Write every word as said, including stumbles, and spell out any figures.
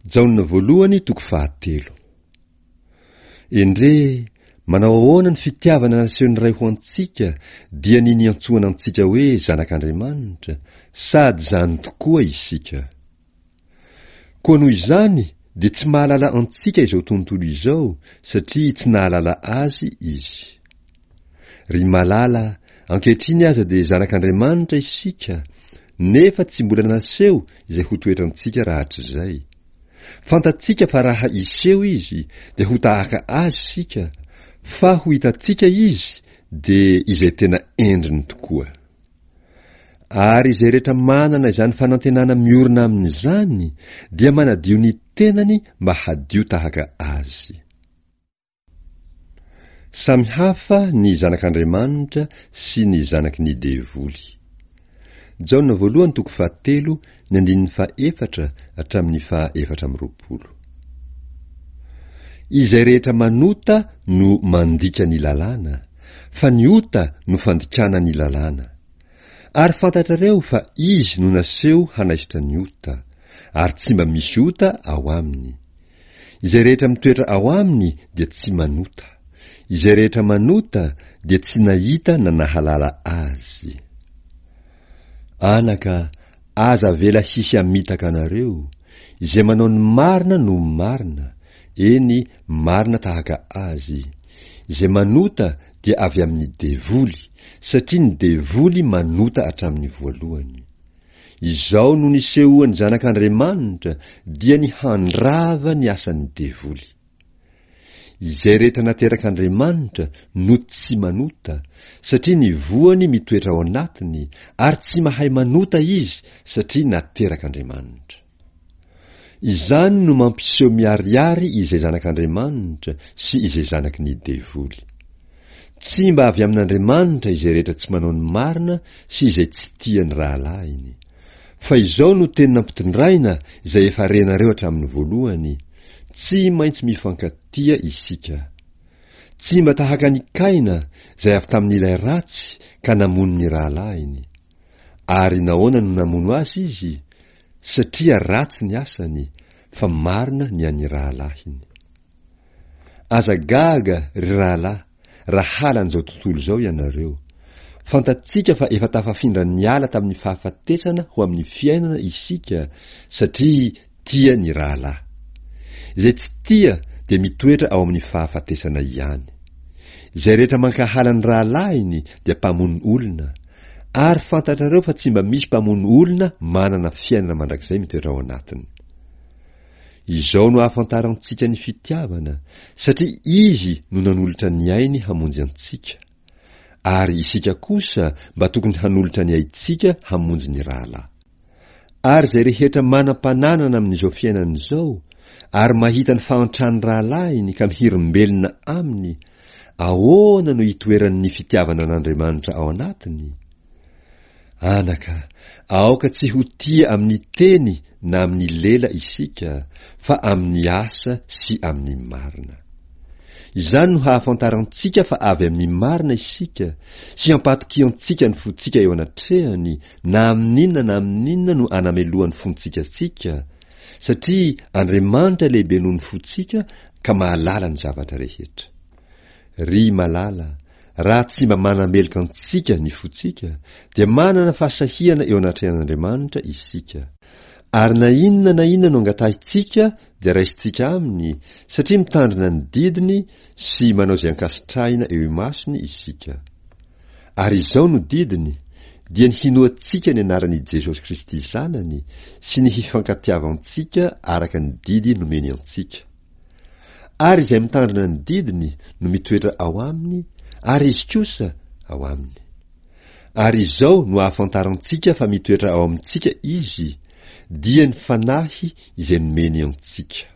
Jaona voalohany toko fahatelo. Endrey, manao ahoana ny fitiavana nasehon'ny Ray ho antsika, dia ny niantsoana antsika hoe zanak'Andriamanitra, sady izany tokoa isika. Koa noho izany dia tsy mahalala antsika izao tontolo izao, satria tsy nahalala azy izy. Ry malala, ankehitriny aza dia zanak'Andriamanitra isika, nefa tsy mbola naseho izay ho toetrantsika rahatrizay. Fantatsika fa raha hiseho izy dia ho tahaka azy isika, fa ho hitantsika izy dia izay tena endriny tokoa. Ary izay rehetra manana izany fanantenana miorina amin'izany dia manadio ny tenany mba hadio tahaka azy. Samy hafa ny zanak'Andriamanitra sy ny zanaky ny devoly. Jaona voalohany toko fahatelo ny andininy fahaefatra hatramin'ny fahaefatra amby roapolo. Izay rehetra manota no mandika ny lalàna, fa ny ota no fandikana ny lalàna. Ary fantatrareo fa izy no naseho hanaisotra ny ota, ary tsy mba misy ota ao aminy. Izay rehetra mitoetra ao aminy dia tsy manota. Izay rehetra manota dia tsy nahita na nahalala azy. Anaka, aza avela hisy hamitaka anareo. Izay manao ny marina no marina, eny, marina tahaka azy. Izay manota dia avy amin'ny devoly, satria ny devoly manota hatramin'ny voalohany. Izao no nisehoan'ny Zanak'Andriamanitra dia ny handrava ny asan'ny devoly. Izay rehetra naterak'Andriamanitra no tsy manota, satria ny voany mitoetra ao anatiny, ary tsy mahay manota izy satria naterak'Andriamanitra. Izany no mampiseho miharihary izay zanak'Andriamanitra sy izay zanaky ny devoly. Tsy mba avy amin'Andriamanitra izay rehetra tsy manao ny marina sy izay tsy tia ny rahalahiny. Fa izao no teny nampitondraina izay efa renareo hatramin'ny voalohany, tsy maintsy mifankatia isika. Tsy mba tahaka an'i Kaina izay avy tamin'ilay ratsy ka namono ny rahalahiny. Ary nahoana no namono azy izy? Satria ratsy ny asany, fa marina ny an'ny rahalahiny. Aza gaga, ry rahalahy, raha halan'izao tontolo izao ianareo. Fantatsika fa efa tafafindra niala tamin'ny fahafatesana ho amin'ny fiainana isika, satria tia ny rahalahy. Izay tsy tia dia mitoetra ao amin'ny fahafatesana ihany. Izay rehetra mankahala ny rahalahiny dia mpamono olona, ary fantatrareo fa tsy mba misy mpamono olona manana fiainana mandrakizay mitoetra ao anatiny. Izao no ahafantarantsika ny fitiavana, satria Izy no nanolotra ny ainy hamonjy antsika. Ary isika kosa mba tokony hanolotra ny aintsika hamonjy ny rahalahy. Ary izay rehetra manam-pananana amin'izao fiainana izao, ary mahita ny fahantran'ny rahalahiny ka mihirimbelona aminy, ahoana no hitoeran'ny fitiavana an'Andriamanitra ao anatiny? Anaka, aoka tsy ho tia amin'ny teny na amin'ny lela isika, fa amin'ny asa sy amin'ny marina. Izany no hahafantarantsika fa avy amin'ny marina isika, sy hampatokiantsika ny fontsika eo anatrehany, na amin'inona na amin'inona no anamelohan'ny fontsika antsika, satria Andriamanitra lehibe noho ny fontsika ka mahalala ny zavatra rehetra. Ry malala, raha tsy mba manameloka antsika ny fontsika, dia manana fahasahiana eo anatrehan'Andriamanitra isika. Ary na inona na inona no angatahintsika dia raisintsika aminy, satria mitandrina ny didiny sy manao izay ankasitrahina eo imasony isika. Ary izao no didiny, dia ny hinoantsika ny anaran'i Jesosy Kristy Zanany sy ny hifankatiavantsika araka ny didy nomeny antsika. Ary izay mitandrina ny didiny no mitoetra ao aminy, ary izy kosa ao aminy. Ary izao no ahafantarantsika fa mitoetra ao amintsika Izy, dia ny Fanahy izay nomeny antsika.